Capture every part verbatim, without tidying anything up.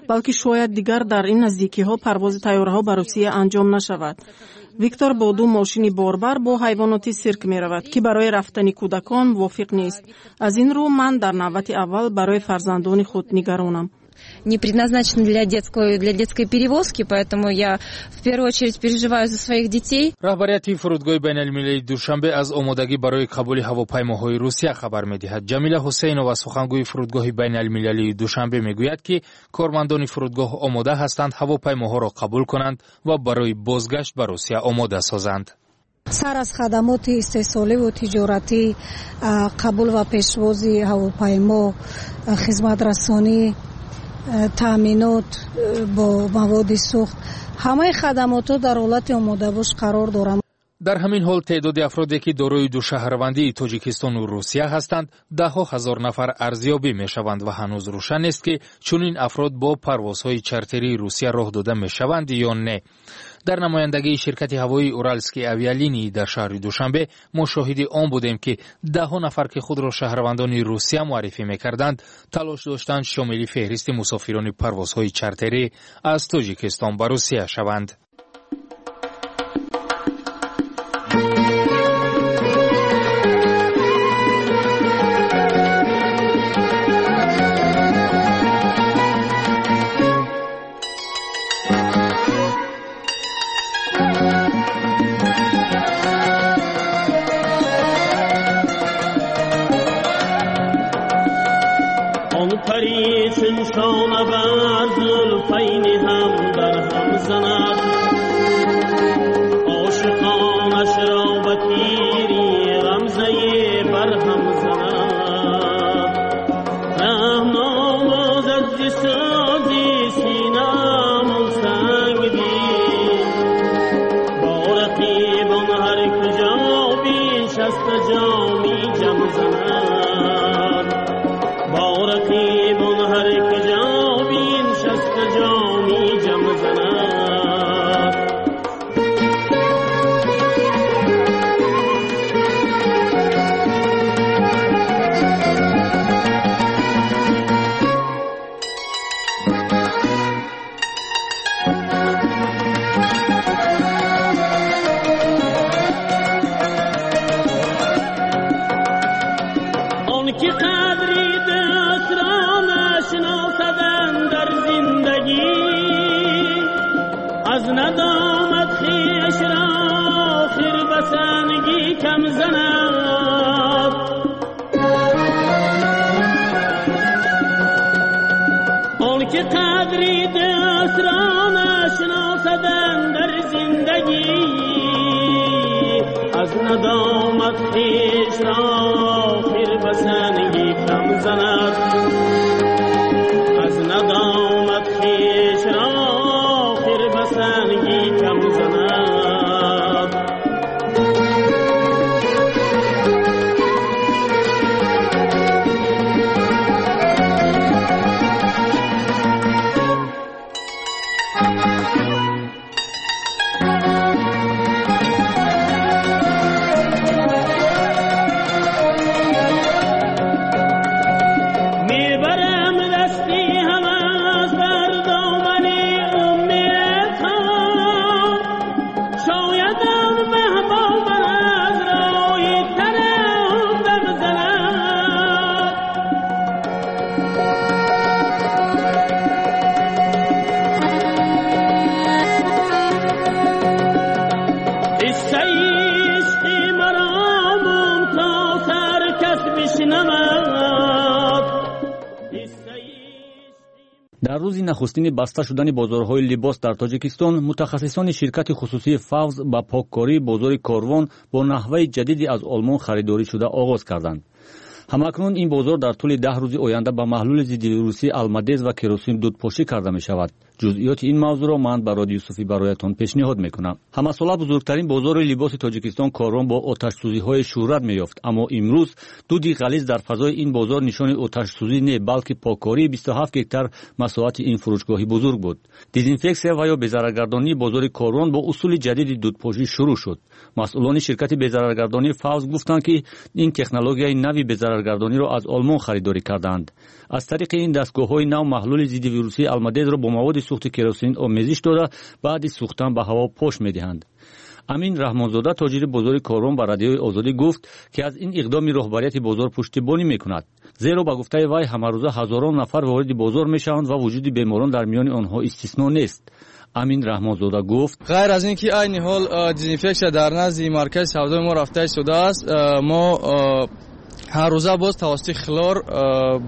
Балки шояд дигар дар ин наздикиҳо парвози тайёраҳо ба Русия анҷом нашавад. Виктор бо ду мошини борбар бо ҳайвоноти сирк меравад, ки барои рафтани кӯдакон мувофиқ нест. Аз ин рӯ ман дар навбати аввал барои фарзандони худ нигаронам. Не предназначен для детской, для детской перевозки, поэтому я в первую очередь переживаю за своих детей. Раҳбарияти фурудгоҳи байналмилалии Душанбе аз омодагӣ барои қабули ҳавопаймоҳои Русия хабар медиҳад. Ҷамила Ҳусейнова, сухангӯи фурудгоҳи байналмилалии Душанбе, мегӯяд, ки кормандони фурудгоҳ омода ҳастанд ҳавопаймоҳоро қабул кунанд ва барои бозгашт ба Русия омода созанд. Сар аз хадамоти истеҳсоливу тиҷоратӣ, қабул ва пешвози ҳавопаймо, хизматрасонӣ, таъминот бо маводи сӯхт, ҳамаи хадамотҳо дар ҳолати омодабош қарор доранд. Дар ҳамин ҳол теъдоди афроде, ки дорои душаҳрвандии Тоҷикистону Русия ҳастанд, даҳҳо ҳазор нафар арзёбӣ мешаванд ва ҳанӯз рӯшан нест, ки чунин афрод бо парвозҳои чартерии Русия роҳ дода мешаванд ё не. Дар намояндагии ширкати ҳавоии Уральские авиалинии дар шаҳри Душанбе мо шоҳиди он будем, ки даҳҳо нафар, ки худро шаҳрвандони Русия муаррифӣ мекарданд, талош доштанд шомили феҳристи мусофирони парвозҳои чартерӣ аз Тоҷикистон ба Русия шаванд. Дар рӯзи нахустини баста шудани бозорҳои либос дар Тоҷикистон, мутахассисони ширкати хусусии Фавз ба поккории бозори Корвон бо наҳваи ҷадиди аз Олмон харидорӣ шуда оғоз карданд. Ҳамакнун ин бозор дар тӯли даҳ рӯзи оянда ба маҳлули зиддивирусии алмадез ва керосин дудпошӣ карда мешавад. Ҷузъиёти ин мавзӯъро ман Бароди Юсуфӣ бароятон пешниҳод мекунам. Ҳамасола бузургтарин бозори либоси Тоҷикистон Корвон бо оташсӯзиҳои шӯҳрат меёфт, аммо имрӯз дуди ғализ дар фазои ин бозор нишони оташсӯзӣ не, балки поккории бисту ҳафт гектар масоҳати ин фурӯшгоҳи бузург буд. Дезинфексия ва ё безараргардонии бозори Корвон бо усули ҷадиди дудпошӣ шурӯъ шуд. Масъулони ширкати безараргардонии Фавз гуфтанд, ки ин технологияи нави безараргардонии зараргардониро аз Олмон харидорӣ карданд. Аз тариқи ин дастгоҳҳои нав маҳлули зидди вирусии Алмадезро бо маводи сӯхти керосин омезиш дода, баъди сӯхтан ба ҳаво пош медиҳанд. Амин Раҳмонзода, тоҷири бозори Корвон, ба Радиои Озодӣ гуфт, ки аз ин иқдоми роҳбарияти бозор пуштибонӣ мекунад, зеро ба гуфтаи вай ҳамарӯза ҳазорон нафар вориди бозор мешаванд ва вуҷуди беморон дар миёни онҳо истисно нест. Амин Раҳмонзода гуфт: ғайр аз ин ки айни ҳол дезинфексия дар назди маркази савдои мо рафта истодааст, мо ҳар рӯза боз тавассути хлор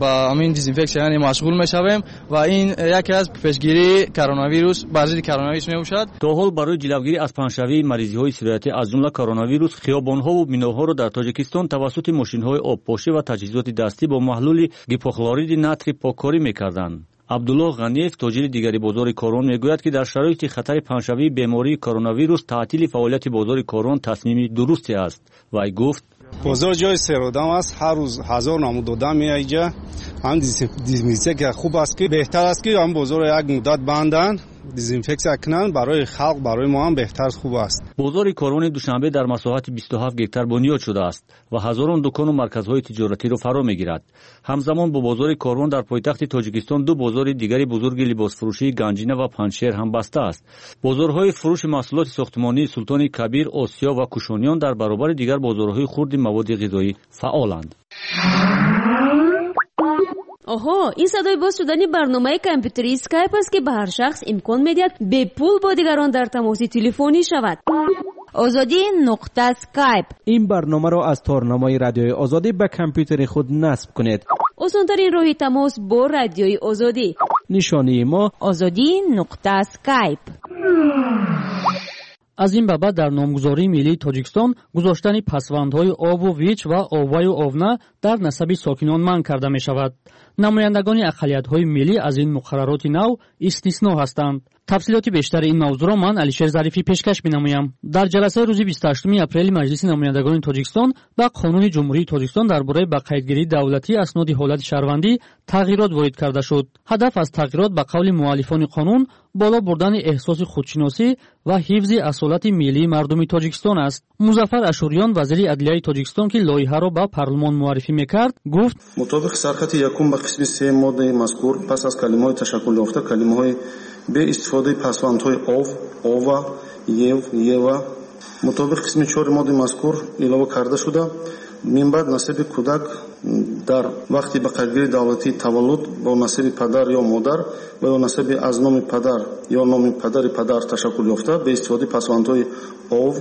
ба ҳамин дезинфексия яъне машғул мешавем ва ин яке аз пешгирии коронавирус бар зидди коронавирус мебошад. То ҳол барои ҷилавгирӣ аз паҳншавии маризиҳои сироятӣ аз ҷумла коронавирус хиёбонҳову биноҳоро дар Тоҷикистон тавассути мошинҳои обпошӣ ва таҷҳизоти дастӣ бо маҳлули гипохлориди натрий поккорӣ мекарданд. Абдуллоҳ Ғаниев, тоҷири дигари бозори Корвон, мегӯяд, ки дар шароити хатари паҳншавии бемории коронавирус таътили фаъолияти бозори Корвон тасмими дурусте аст. Вай гуфт: бозор ҷои серодам аст, ҳар рӯз ҳазор намуд одам меояд инҷа. Ҳам дезинфексия хуб аст, ки беҳтар аст, ки ҳам бозорро як муддат банданд, дезинфексия кунанд, барои халқ, барои мо ҳам беҳтар хуб аст. Бозори Корвони Душанбе дар масоҳати бисту ҳафт гектар бунёд шудааст ва ҳазорон дукону марказҳои тиҷоратиро фаро мегирад. Ҳамзамон бо бозори Корвон дар пойтахти Тоҷикистон ду бозори дигари бузурги либосфурӯшии Ганҷина ва Панҷшер ҳам баста аст. Бозорҳои фурӯши маҳсулоти сохтмонии Султони Кабир, Осиё ва Кушониён дар баробари дигар бозорҳои хурди маводи ғизоӣ фаъоланд. Оҳо, ин садои боз шудани барномаи компютерии Skype аст, ки ба ҳар шахс имкон медиҳад бепул бо дигарон дар тамоси телефонӣ шавад. Озодӣ нуқта Skype. Ин барномаро аз торнамои Радиои Озодӣ ба компютери худ насб кунед. Осонтарин роҳи тамос бо Радиои Озодӣ. Нишонии мо Озодӣ нуқта Skype. Аз ин ба баъд дар номгузории миллии Тоҷикистон гузоштани пасвандҳои ову вич ва оваю овна дар насаби сокинон манъ карда мешавад. Намояндагони ақаллиятҳои миллӣ аз ин муқаррароти нав истисно ҳастанд. Тафсилоти бештари ин мавзӯъро ман Алишер Зарифӣ пешкаш менамоям. Дар ҷаласаи рӯзи бисту ҳаштуми апрели Маҷлиси намояндагони Тоҷикистон ба Қонуни Ҷумҳурии Тоҷикистон дар бораи ба қайдгирии давлатии асноди ҳолати шаҳрвандӣ тағйирот ворид карда шуд. Ҳадаф аз тағйирот ба қавли муаллифони қонун боло бурдани эҳсоси худшиносӣ ва ҳифзи асолати миллии мардуми Тоҷикистон аст. Музаффар Ашуриён, вазири адлияи Тоҷикистон, ки лоиҳаро ба парлумон муаррифӣ мекард, гуфт: мутобиқи сархати якум ба қисми се моддаи мазкур пас аз калимаҳои ташаккул ёфта калимаҳои бе истифодаи пасвандҳои ов, ова, ев, ева мутобиқи қисми чори моддаи мазкур илова карда шуда, минбаъд насаби кӯдак дар вақти ба қайдгирии давлатии таваллуд бо насаби падар ё модар ва ё насаби аз номи падар ё номи падари падар ташаккул ёфта бе истифодаи пасвандҳои ов,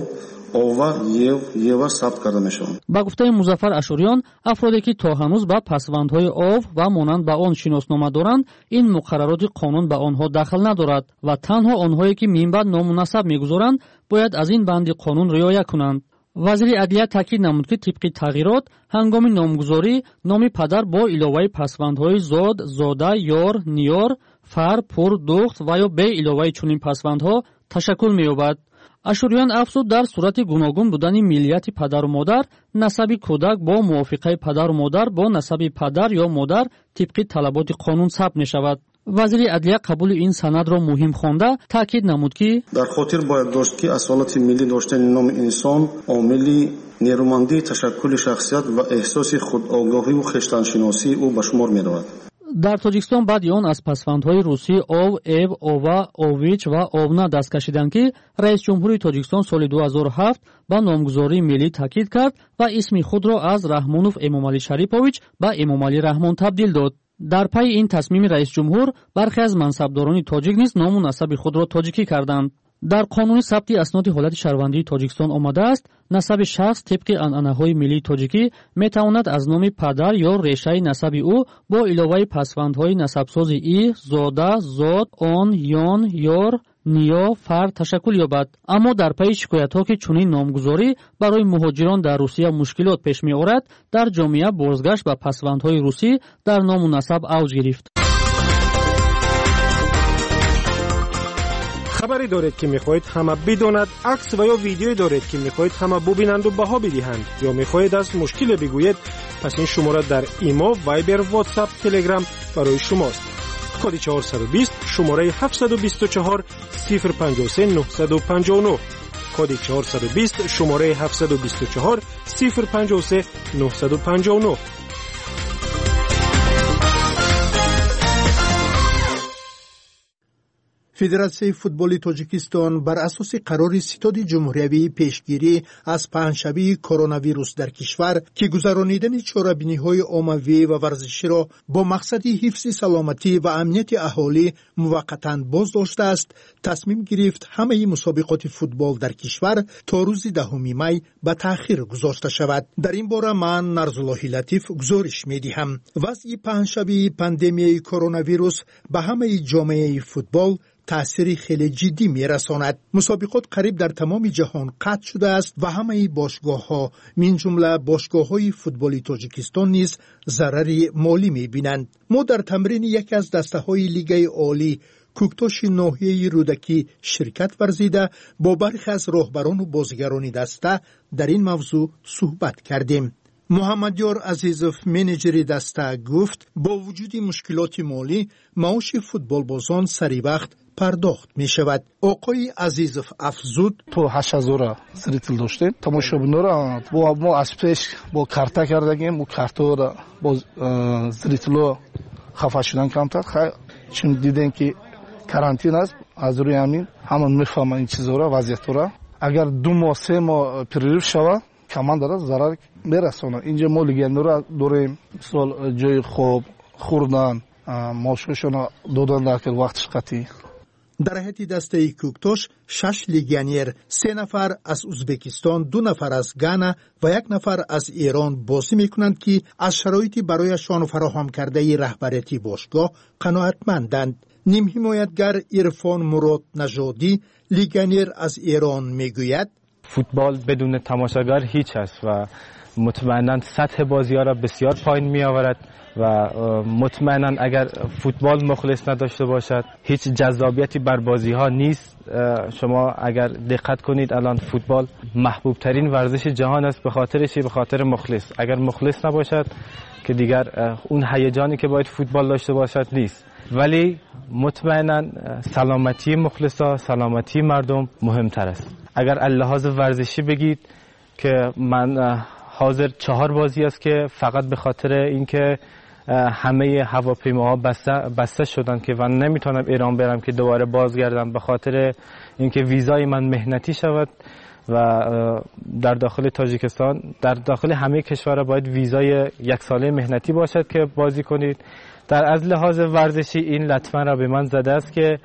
ова, ев, ева сабт карда мешаванд. Ба гуфтаи Музаффар Ашуриён, афроде ки то ҳанӯз ба пасвандҳои ов ва монанд ба он шиноснома доранд, ин муқаррароти қонун ба онҳо дахл надорад ва танҳо онҳое ки минбаъд ному насаб мегузоранд бояд аз ин банди қонун риоя кунанд. Вазири адлия таъкид намуд, ки тибқи тағйирот ҳангоми номгузорӣ номи падар бо иловаи пасвандҳои зод, зода, ёр, ниёр, фар, пур, духт ва ё бе иловаи чунин пасвандҳо ташаккул меёбад. Ашуриён афзуд, дар сурати гуногун будани миллияти падару модар насаби кӯдак бо мувофиқаи падару модар бо насаби падар ё модар тибқи талаботи қонун сабт мешавад. Вазири адлия қабули ин санадро муҳим хонда таъкид намуд, ки дар хотир бояд дошт, ки асолати миллӣ доштани номи инсон омили нерӯмандии ташаккули шахсият ва эҳсоси худогоҳиву хештаншиносии ӯ ба шумор меравад. Дар Тоҷикистон баъди он аз пасвандҳои русӣ ов, ев, ова, ович ва овна даст кашиданд, ки раис ҷумҳури Тоҷикистон соли ду ҳазору ҳафт ба номгузории миллӣ таъкид кард ва исми худро аз Раҳмонов Эмомалӣ Шарипович ба Эмомалӣ Раҳмон табдил дод. Дар пайи ин тасмими раис ҷумҳур бархе аз мансабдорони тоҷик низ ному насаби худро тоҷикӣ карданд. Дар қонуни сабти асноди ҳолати шаҳрвандии Тоҷикистон омадааст, насаби шахс тибқи анъанаҳои миллии тоҷикӣ метавонад аз номи падар ё решаи насаби ӯ бо иловаи пасвандҳои насабсози и, зода, зод, он, ён, ёр, ниё, фар ташаккул ёбад. Аммо дар пайи шикоятҳо, ки чунин номгузорӣ барои муҳоҷирон дар Русия мушкилот пеш меорад, дар ҷомеа бозгашт ба пасвандҳои русӣ дар ному насаб авҷ гирифт. Хабаре доред, ки мехоҳед ҳама бидонад, акс ва ё видеое доред, ки мехоҳед ҳама бубинанду баҳо бидиҳанд, ё мехоҳед аз мушкиле бигӯед, пас ин шумора дар Имо, Вайбер, Ватсап, Телеграм барои шумост. Коди чорсаду бист, шумораи ҳафтсаду бисту чор, сифр панҷоҳу се, нӯҳсаду панҷоҳу нӯҳ. Коди чорсаду бист, шумораи ҳафтсаду бисту чор, сифр панҷоҳу се, нӯҳсаду панҷоҳу нӯҳ. Федератсияи футболи Тоҷикистон бар асоси қарори Ситоди ҷумҳуриявии пешгирӣ аз паҳншавии коронавирус дар кишвар, ки гузаронидани чорабиниҳои оммавӣ ва варзиширо бо мақсади ҳифзи саломатӣ ва амнияти аҳолӣ муваққатан боз доштааст, тасмим гирифт ҳамаи мусобиқоти футбол дар кишвар то рӯзи даҳуми май ба таъхир гузошта шавад. Дар ин бора ман Нарзуллоҳи Латиф гузориш медиҳам. Вазъи паҳншавии пандемияи коронавирус ба ҳамаи ҷомеаи футбол таъсири хеле ҷиддӣ мерасонад. Мусобиқот қариб дар тамоми ҷаҳон қатъ шудааст ва ҳамаи бошгоҳҳо, мин ҷумла бошгоҳҳои футболи Тоҷикистон низ зарари молӣ мебинанд. Мо дар тамрини яке аз дастаҳои Лигаи Олӣ Кӯктоши ноҳияи Рӯдакӣ ширкат варзида, бо бархе аз роҳбарону бозигарони даста дар ин мавзӯъ суҳбат кардем. Муҳаммадёр Азизов, менеҷери даста, гуфт бо вуҷуди мушкилоти молӣ маоши футболбозон сари вақт пардохт мешавад. Оқои Азизов афзуд: то ҳашт ҳазора зрител доштем тамошобинора, мо аз пеш бо карта кардагем, бо картаро бо зритело хафа шудан камтар. Чун дидем ки карантин аст, аз рӯи ҳамин ҳама мефаҳманд ин чизора, вазъиятора. Агар ду моҳ се моҳ перерыв шавад, командара зарар мерасонад. Инҷа мо легионерро дорем, мисол ҷои хоб, хӯрдан, маошҳояшонро додан дар вақтиш қатъӣ. Дар ҳайати дастаи Кӯктош шаш легионер, се нафар аз Узбекистон, ду нафар аз Гана ва як нафар аз Эрон бозӣ мекунанд, ки аз шароити барояшон фароҳам кардаи раҳбарияти бошгоҳ қаноатманданд. Нимҳимоятгар Ирфон Мурод Нажодӣ, легионер аз Эрон, мегӯяд: فوتبال بدون تماشاگر هیچ است و مطمئنا سطح بازی‌ها را بسیار پایین می‌آورد و مطمئنا اگر فوتبال مخلص نداشته باشد هیچ جذابیتی بر بازی‌ها نیست. شما اگر دقت کنید الان فوتبال محبوب ترین ورزش جهان است، به خاطر چی؟ به خاطر مخلص. اگر مخلص نباشد که دیگر اون هیجانی که باید فوتبال داشته باشد نیست. ولی مطمئنا سلامتی مخلصا، سلامتی مردم مهمتر است. اگر لحاظ ورزشی بگید که من حاضر چهار بازی است که فقط به خاطر اینکه همه هواپیماها بسته بسته شدن که من نمیتونم ایران برم که دوباره بازگردم، به خاطر اینکه ویزای من مهنتی شود و در داخل تاجیکستان، در داخل همه کشورها باید ویزای یک ساله مهنتی باشد که بازی کنید. در از لحاظ ورزشی این لطمه را به من زده است که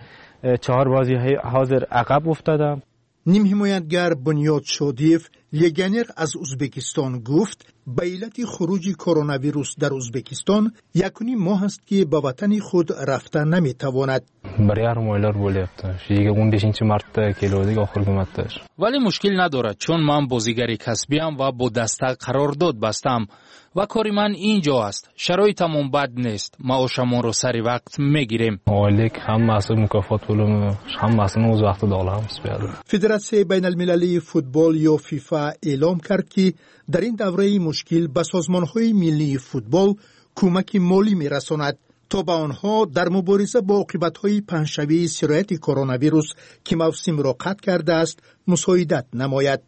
چهار بازی حاضر عقب افتادم. Нимҳимоятгар Бунёд Шодиев, легионер аз Узбекистон, гуфт ба иллати хуруҷи коронавирус дар Узбекистон якуним моҳ аст, ки ба ватани худ рафта наметавонад. Bir yarim oylar bo'lyapti. Shu o'n beshinchi martda keluvdik, oxirgi marta. Вале мушкил надорад, чун ман бозигари касбиам ва бо даста қарордод бастам ва кори ман ин ҷо аст. Шароитамон бад нест, маошамонро сари вақт мегирем. Oylik hammasi, mukofot pulimi hammasini o'z vaqtida olamiz bu yerda. Федератсияи байналмилалии футбол ё ФИФА эълом кард, ки дар ин давраи мушкил ба созмонҳои миллии футбол кӯмаки молӣ мерасонад, то ба онҳо дар мубориза бо оқибатҳои паҳншавии сирояти коронавирус, ки мавсимро қатъ кардааст, мусоидат намояд.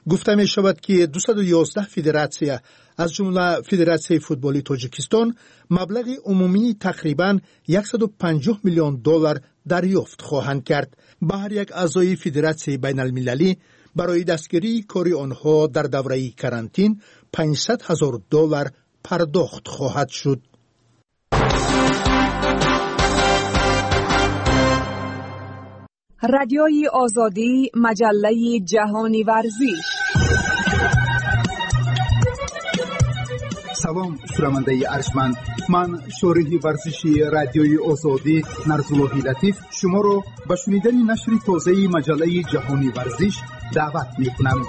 Гуфта мешавад, ки дусаду ёздаҳ федератсия, аз ҷумла Федератсияи футболи Тоҷикистон, маблағи умумии тақрибан яксаду панҷоҳ миллион доллар дарёфт хоҳанд кард. Ба ҳар як аъзои Федератсияи байналмилалӣ барои дастгирии кори онҳо дар давраи карантин панҷсад ҳазор доллар пардохт хоҳад шуд. Радиои Озодӣ, маҷаллаи ҷаҳони варзиш. Салом, шунавандаи арҷманд. Ман шориҳи варзиши Радиои Озодӣ Нарзуллоҳи Латиф шуморо ба шунидани нашри тозаи маҷаллаи ҷаҳони варзиш даъват мекунам.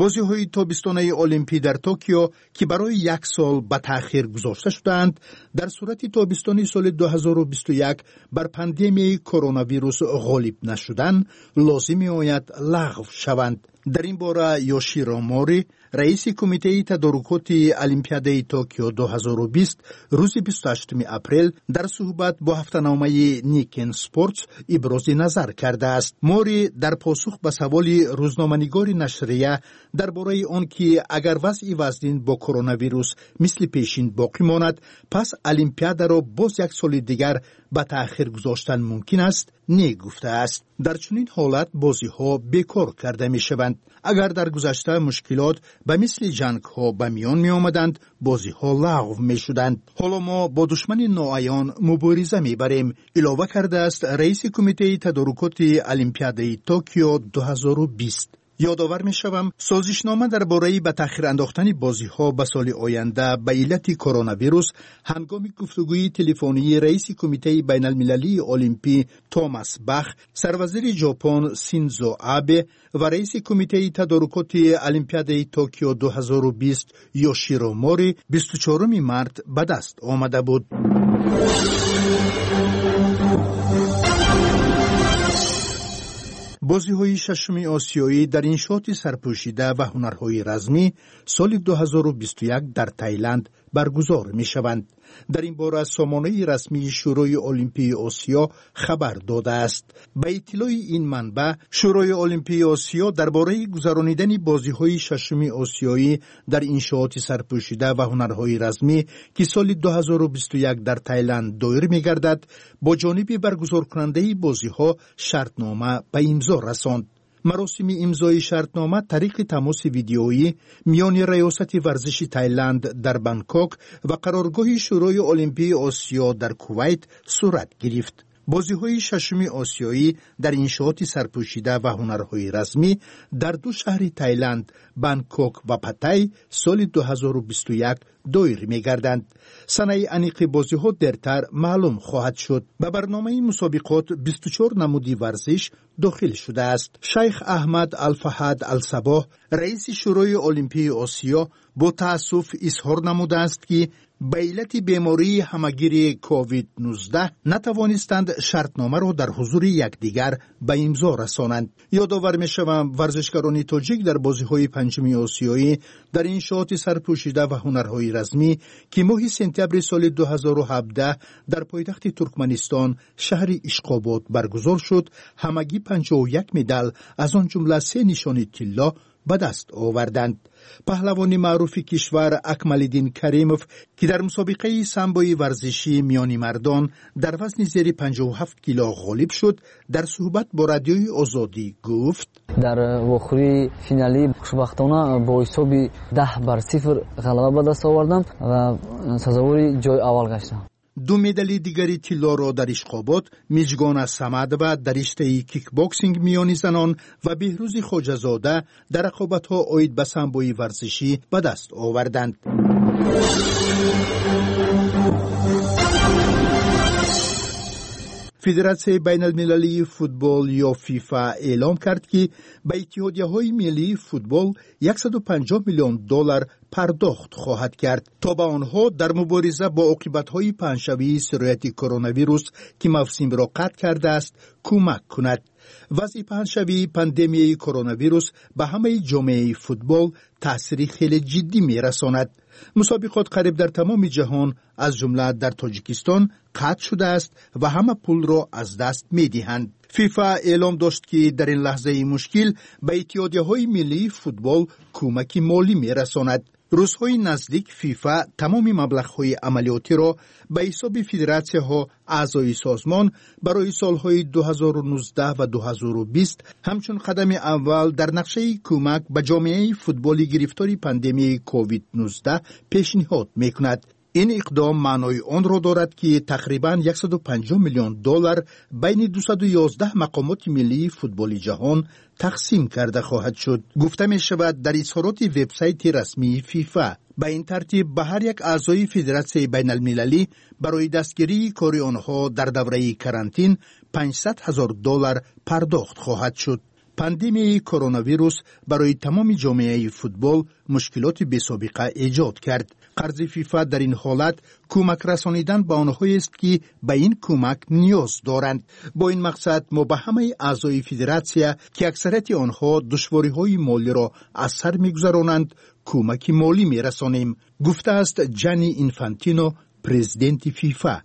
Бозиҳои тобистонаи Олимпӣ дар Токио, ки барои як сол ба таъхир гузошта шудаанд, дар сурати тобистони соли ду ҳазору бисту як бар пандемияи коронавирус ғолиб нашудан, лозим меояд лағв шаванд. Дар ин бора Ёширо Мори, раиси кумитаи тадорукоти Олимпиадаи Токио ду ҳазору бист, рӯзи бисту ҳаштуми апрел дар суҳбат бо ҳафтаномаи Никкен Спортс ибрози назар кардааст. Мори дар посух ба саволи рӯзноманигори нашрия дар бораи он ки агар вазъи вазнин бо коронавирус мисли пешин боқӣ монад, пас Олимпиадаро боз як соли дигар ба таъхир гузоштан мумкин аст, не гуфтааст. Дар чунин ҳолат бозиҳо бекор карда мешаванд. Агар дар гузашта мушкилот ба мисли ҷангҳо ба миён меомаданд, бозиҳо лағв мешуданд. Ҳоло мо бо душмани ноаён мубориза мебарем, илова кардааст раиси кумитаи тадорукоти Олимпиадаи Токио ду ҳазору бист. Ёдовар мешавам, созишнома дар бораи ба таъхир андохтани бозиҳо ба соли оянда ба иллати коронавирус ҳангоми гуфтугӯи телефонии раиси Кумитаи байналмилалии олимпӣ Томас Бах, сарвазири Ҷопон Синдзо Абе ва раиси кумитаи тадорукоти Олимпиадаи Токио ду ҳазору бист Ёширо Мори бисту чаҳоруми март ба даст омада буд. Бозиҳои шашуми осиёӣ дар иншооти сарпӯшида ва ҳунарҳои размӣ соли ду ҳазору бисту як дар Тайланд баргузор мешаванд. Дар ин бора сомонаи расмии Шӯрои олимпии Осиё хабар додааст. Ба иттилои ин манбаъ, Шӯрои олимпии Осиё дар бораи гузаронидани бозиҳои шашуми осиёӣ дар иншооти сарпӯшида ва ҳунарҳои размӣ, ки соли ду ҳазору бисту як дар Тайланд доир мегардад, бо ҷониби баргузоркунандаи бозиҳо шартнома ба имзо расонд. Маросими имзои шартнома тариқи тамоси видеоӣ миёни раёсати варзиши Тайланд дар Бангкок ва қароргоҳи Шӯрои олимпии Осиё дар Кувайт сурат гирифт. Бозиҳои шашуми осиёӣ дар иншооти сарпӯшида ва ҳунарҳои размӣ дар ду шаҳри Тайланд, Бангкок ва Паттай, соли ду ҳазору бисту як доир мегарданд. Санаи аниқи бозиҳо дертар маълум хоҳад шуд. Ба барномаи мусобиқот бисту чор намуди варзиш дохил шудааст. Шайх Аҳмад Алфаҳад Алсабоҳ, раиси Шӯрои олимпии Осиё, бо таассуф изҳор намудааст, ки ба иллати бемории ҳамагири ковид нуздаҳ натавонистанд шартномаро дар ҳузури якдигар ба имзо расонанд. Ёдовар мешавам, варзишгарони тоҷик дар бозиҳои панҷуми осиёӣ дар иншооти сарпӯшида ва ҳунарҳои размӣ, ки моҳи сентябри соли ду ҳазору ҳабдаҳ дар пойтахти Туркманистон, шаҳри Ишқобод баргузор шуд, ҳамагӣ панҷоҳу як медал, аз он ҷумла се нишони тилло ба даст оварданд. Паҳлавони маъруфи кишвар Акмалиддин Каримов, ки дар мусобиқаи самбои варзишӣ миёни мардон дар вазни зери панҷоҳу ҳафт кило ғолиб шуд, дар суҳбат бо Радиои Озодӣ гуфт: Дар вохӯрии финалӣ хушбахтона бо ҳисоби даҳ бар сифр ғалаба ба даст овардам ва сазовори ҷои аввал гаштам. Ду медали дигари тиллоро дар Ишқобод Миҷгона Самадова дар риштаи кикбоксинг миёни занон ва Беҳрӯзи Хоҷазода дар рақобатҳо оид ба самбои варзишӣ ба даст оварданд. Федератсияи байналмилалии футбол ё ФИФА эълом кард, ки ба иттиҳодияҳои миллии футбол яксаду панҷоҳ миллион доллар пардохт хоҳад кард, то ба онҳо дар мубориза бо оқибатҳои паҳншавии сирояти коронавирус, ки мавсимро қатъ кардааст, кӯмак кунад. Вазъи паҳншавии пандемияи коронавирус ба ҳамаи ҷомеаи футбол таъсири хеле ҷиддӣ мерасонад. Мусобиқот қариб дар тамоми ҷаҳон, аз ҷумла дар Тоҷикистон, қатъ шудааст ва ҳама пулро аз даст медиҳанд. ФИФА эълом дошт, ки дар ин лаҳзаи мушкил ба иттиҳодияҳои миллии футбол кӯмаки молӣ мерасонад. Рӯзҳои наздик ФИФА тамоми маблағҳои амалиётиро ба ҳисоби федератсияҳо, аъзои созмон, барои солҳои ду ҳазору нуздаҳ ва ду ҳазору бист ҳамчун қадами аввал дар нақшаи кӯмак ба ҷомеаи футболи гирифтори пандемияи ковид нуздаҳ пешниҳод мекунад. Ин иқдом маънои онро дорад, ки тақрибан яксаду панҷоҳ миллион доллар байни дусаду ёздаҳ мақомоти миллии футболи ҷаҳон тақсим карда хоҳад шуд, гуфта мешавад дар изҳороти вебсайти расмии ФИФА. Ба ин тартиб, ба ҳар як аъзои федератсияи байналмилалӣ барои дастгирии кори онҳо дар давраи карантин панҷсад ҳазор доллар пардохт хоҳад шуд. Пандемияи коронавирус барои тамоми ҷомеаи футбол мушкилоти бесобиқа эҷод кард. Қарзи ФИФА дар ин ҳолат кӯмак расонидан ба онҳоест, ки ба ин кӯмак ниёз доранд. Бо ин мақсад мо ба ҳамаи аъзои федератсия, ки аксарияти онҳо душвориҳои молиро аз сар мегузаронанд, кӯмаки молӣ мерасонем, гуфтааст Ҷанни Инфантино, президенти ФИФА.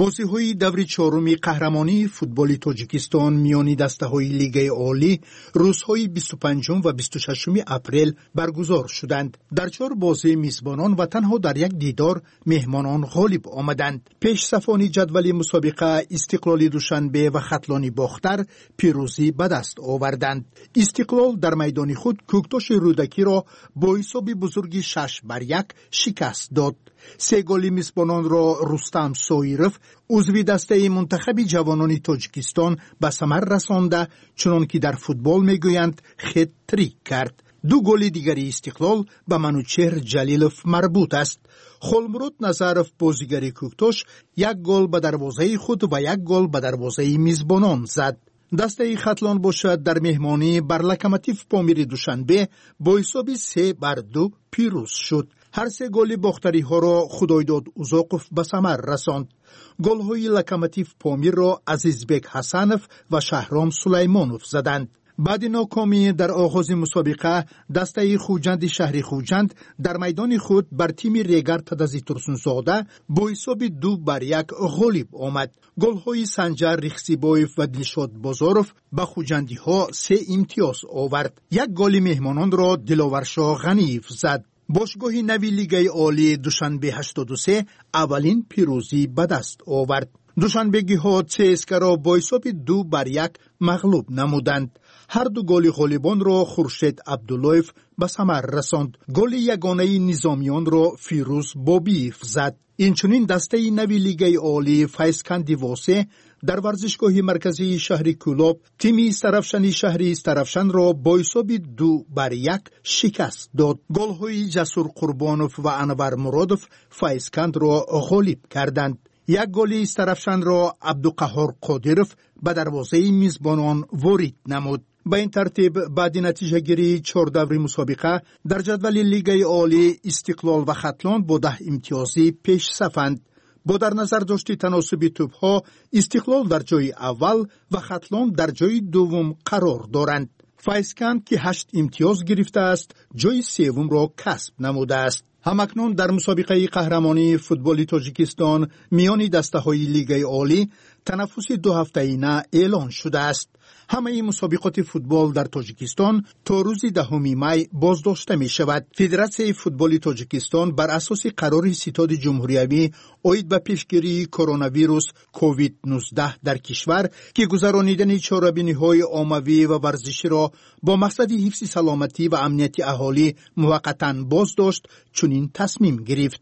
Бозиҳои даври чоруми қаҳрамонии футболи Тоҷикистон миёни дастаҳои Лигаи Олӣ рӯзҳои бисту панҷум ва бисту шашуми апрел баргузор шуданд. Дар чор бозӣ мизбонон ва танҳо дар як дидор меҳмонон ғолиб омаданд. Пешсафони ҷадвали мусобиқа Истиқлоли Душанбе ва Хатлони Бохтар пирӯзӣ ба даст оварданд. Истиқлол дар майдони худ Кӯктоши Рӯдакиро бо ҳисоби бузурги шаш бар як шикаст дод. Се голи мизбононро Рустам Соиров, узви дастаи мунтахаби ҷавонони Тоҷикистон, ба самар расонда, чунон ки дар футбол мегӯянд, хет-трик кард. Ду голи дигари Истиқлол ба Манучеҳр Ҷалилов марбут аст. Холмурод Назаров, бозигари Кӯктош, як гол ба дарвозаи худ ва як гол ба дарвозаи мизбонон зад. Дастаи Хатлон бошад дар меҳмонӣ бар Локомотив Помири Душанбе бо ҳисоби се бар ду пирӯз шуд. Ҳар се голи бохтариҳоро Худойдод Узоқов ба самар расонд. Голҳои Локомотив Помирро Азизбек Ҳасанов ва Шаҳром Сулаймонов заданд. Баъди нокомӣ дар оғози мусобиқа дастаи Хуҷанди шаҳри Хуҷанд дар майдони худ бар тими Регар Тадази Турсунзода бо ҳисоби ду бар як ғолиб омад. Голҳои Санҷар Рихсибоев ва Дилшод Бозоров ба хуҷандиҳо се имтиёз овард. Як голи меҳмононро Диловаршоҳ Ғаниев зад. Бошгоҳи нави Лигаи Олии Душанбе ҳаштоду се аввалин пирӯзӣ ба даст овард. Душанбегиҳо ЦСКА-ро бо ҳисоби ду бар як мағлуб намуданд. Ҳар ду голи ғолибонро Хуршед Абдуллоев ба самар расонд. Голи ягонаи низомиёнро Фирӯз Бобиев зад. Инчунин дастаи нави Лигаи Олии Файзканди Восе дар варзишгоҳи марказии шаҳри Кӯлоб тими Истаравшани шаҳри Истаравшанро бо ҳисоби ду бар як шикаст дод. Голҳои Ҷасур Қурбонов ва Анвар Муродов Файзкандро ғолиб карданд. Як голи Истаравшанро Абдуқаҳҳор Қодиров ба дарвозаи мизбонон ворид намуд. Ба ин тартиб баъди натиҷагирии чор даври мусобиқа дар ҷадвали Лигаи Олӣ Истиқлол ва Хатлон бо даҳ имтиёзӣ пешсафанд. Бо дар назар дошти таносуби тӯбҳо Истиқлол дар ҷои аввал ва Хатлон дар ҷои дуввум қарор доранд. Файзканд, ки ҳашт имтиёз гирифтааст, ҷои севумро касб намудааст. Ҳамакнун дар мусобиқаи қаҳрамонии футболи Тоҷикистон миёни дастаҳои Лигаи Олӣ танаффуси дуҳафтаина эълон шудааст. Ҳамаи мусобиқоти футбол дар Тоҷикистон то рӯзи даҳуми май боздошта мешавад. Федератсияи футболи Тоҷикистон бар асоси қарори Ситоди ҷумҳуриявӣ оид ба пешгирии коронавирус ковид нуздаҳ дар кишвар, ки гузаронидани чорабиниҳои оммавӣ ва варзиширо бо мақсади ҳифзи саломатӣ ва амнияти аҳолӣ муваққатан боздошт, чунин тасмим гирифт.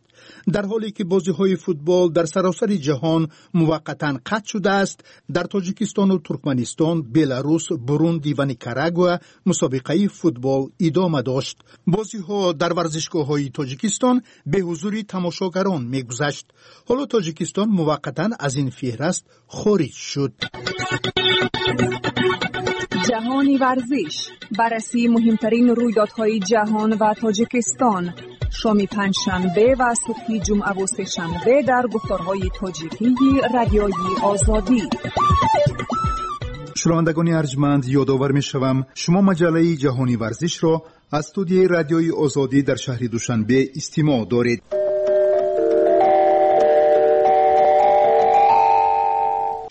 Дар ҳоле ки бозиҳои футбол дар саросари ҷаҳон муваққатан қатъ шудааст, дар Тоҷикистону Туркманистон, Беларус, Бурунди ва Никарагуа мусобиқаи футбол идома дошт. Бозиҳо дар варзишгоҳҳои Тоҷикистон бе ҳузури тамошогарон мегузашт. Ҳоло Тоҷикистон муваққатан аз ин феҳраст хориҷ шуд. Ҷаҳони варзиш, баррасии муҳимтарин рӯйдодҳои ҷаҳон ва Тоҷикистон. Шоми панҷшанбе ва субҳи ҷумъаву сешанбе дар гуфторҳои тоҷикии Радиои Озодӣ. Шунавандагони арҷманд, ёдовар мешавам, шумо маҷаллаи ҷаҳони варзишро аз студияи Радиои Озодӣ дар шаҳри Душанбе истимоъ доред.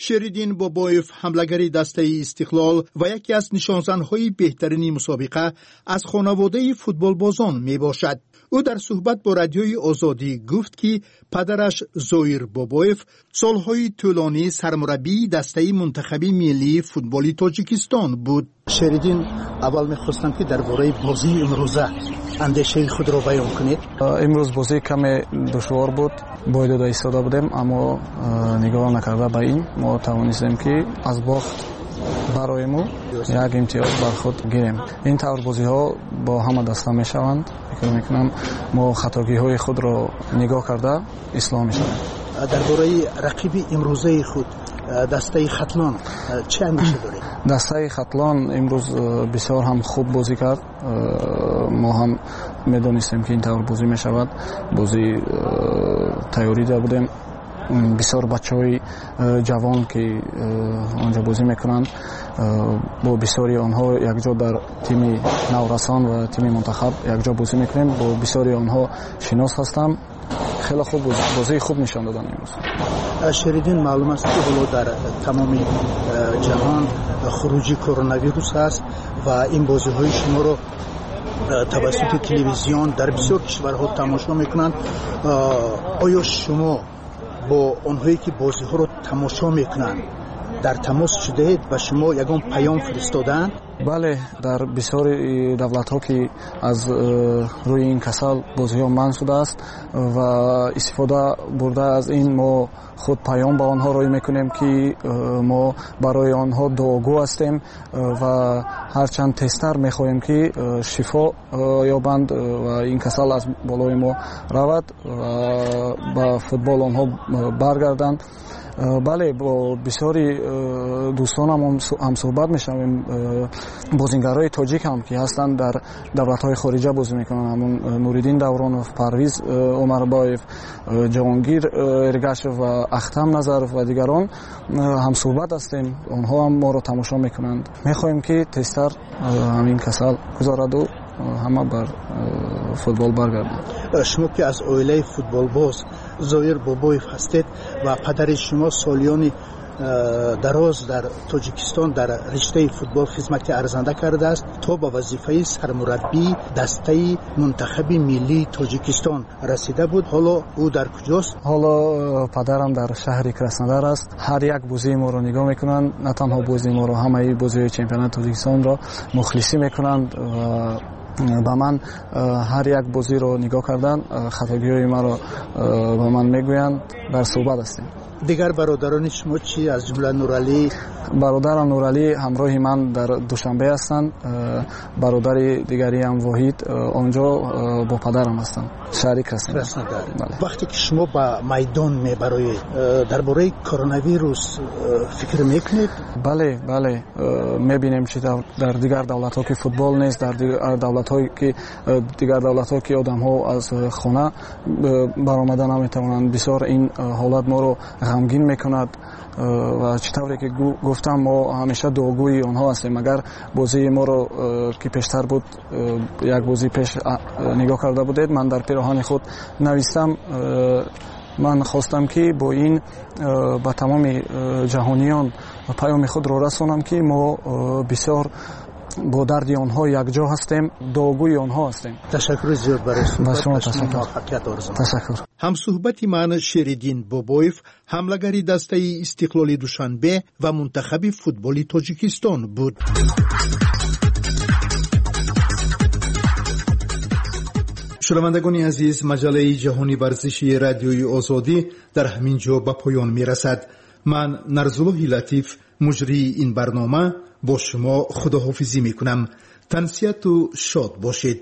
Шериддин Бобоев, ҳамлагари дастаи Истиқлол ва яке аз нишонзанҳои беҳтарини мусобиқа, аз хонаводаи футболбозон мебошад. Ӯ дар суҳбат бо Радиои Озодӣ гуфт, ки падараш Зоир Бобоев солҳои тӯлонӣ сармураббии дастаи мунтахаби миллии футболи Тоҷикистон буд. Шериддин, аввал мехостам, ки дар бораи бозии имрӯза андешаи худро баён кунед. Имрӯз бозӣ каме душвор буд, бой дода истода будем, аммо нигоҳ накарда ба ин мо тавонистем, ки аз бохт бароему як имтиёз бар худ гирем. Ин тавр бозиҳо бо ҳама даста мешаванд. Фикр мекунам, мо хатогиҳои худро нигоҳ карда ислоҳ мешавем. Дар бораи рақиби имрӯзаи худ, дастаи Хатлон, чӣ андеша доред? Дастаи Хатлон имрӯз бисёр ҳам хуб бозӣ кард. Мо ҳам медонистем, ки ин тавр бозӣ мешавад. Бозӣ тайёрӣ дида будем. Бисёр бачаҳои ҷавон, ки онҷо бозӣ мекунанд, бо бисёри онҳо якҷо дар тими наврасон ва тими мунтахаб якҷо бозӣ мекунем. Бо бисёри онҳо шинос ҳастам. Хеле хуб, бозии хуб нишон доданд имрӯз. Шериддин, маълум аст, ки ҳоло дар тамоми ҷаҳон хуруҷи коронавирус аст ва ин бозиҳои шуморо тавассути телевизион дар бисёр кишварҳо тамошо мекунанд. Оё шумо бо онҳое, ки бозиҳоро тамошо мекунанд, дар тамос шудаед? Ба шумо ягон паём фиристодаанд? Бале, дар бисёри давлатҳо, ки аз рӯи ин касал бозиҳо манъ шудааст, ва истифода бурда аз ин мо худ паём ба онҳо рӯй мекунем, ки мо барои онҳо дуогӯ ҳастем ва ҳарчанд тезтар мехоҳем, ки шифо ёбанд ва ин касал аз болои мо равад ва ба футбол онҳо баргарданд. Бале, бо бисёри дӯстонам ҳамсӯҳбат мешавем. Бозингарҳои тоҷик ҳам, ки ҳастанд, дар давлатҳои хориҷа бозӣ мекунанд, ҳамун Нуриддин Давронов, Парвиз Умарбоев, Ҷаҳонгир Эргашев ва Ахтам Назаров ва дигарон ҳамсӯҳбат ҳастем. Онҳо ҳам моро тамошо мекунанд. Мехоҳем, ки тезтар ҳамин касал гузараду ҳама бар футбол баргарданд. Шумо, ки аз оилаи футболбоз Зоир Бобоев ҳастед ва падари шумо солиёни дароз дар Тоҷикистон дар риштаи футбол хизмати арзанда кардааст, то ба вазифаи сармураббии дастаи мунтахаби миллии Тоҷикистон расида буд. Ҳоло ӯ дар куҷост? Ҳоло падарам дар шаҳри Краснодар аст. Ҳар як бозии моро нигоҳ мекунанд, на танҳо бозии моро, ҳамаи бозиҳои чемпионати Тоҷикистонро мухлисӣ мекунанд ва ба ман ҳар як бозиро нигоҳ кардан, хатогиҳои маро ба ман мегӯянд, дар суҳбат ҳастем. Дигар бародарони шумо чӣ, аз ҷумла Нуралӣ? Бародарам Нуралӣ ҳамроҳи ман дар Душанбе ҳастанд. Бародари дигариам Воҳид онҷо бо падарам ҳастанд, шаҳри Краснодар. Вақте ки шумо ба майдон мебароед, дар бораи коронавирус фикр мекунед? Бале, бале, мебинем, чӣ тавр дар дигар давлатҳо, ки футбол нест, дар дигар давлатҳое ки дигар давлатҳо ки одамҳо аз хона баромада наметавонанд. Бисёр ин ҳолат моро ғамгин мекунад ва чӣ тавре ки гуфтам, мо ҳамеша дуогӯи онҳо ҳастем. Агар бозии моро, ки пештар буд, як бозӣ пеш нигоҳ карда будед, ман дар пироҳани худ навистам, ман хостам, ки бо ин ба тамоми ҷаҳониён паёми худро расонам, ки мо бисёр бо дарди онҳо якҷо ҳастем, дуогӯи онҳо ҳастем. Ташаккури зиёд барои суҳбат. Шумо муваффақият орзу. Ташаккур. Ҳамсӯҳбати ман Шериддин Бобоев, ҳамлагари дастаи Истиқлоли Душанбе ва мунтахаби футболи Тоҷикистон буд. Шунавандагони азиз, маҷаллаи ҷаҳони варзиши Радиои Озодӣ дар ҳамин ҷо ба поён мерасад. Ман, Нарзуллоҳи Латиф, муҷрии ин барнома, бо шумо худоҳофизӣ мекунам. Тансиҳату шод бошед.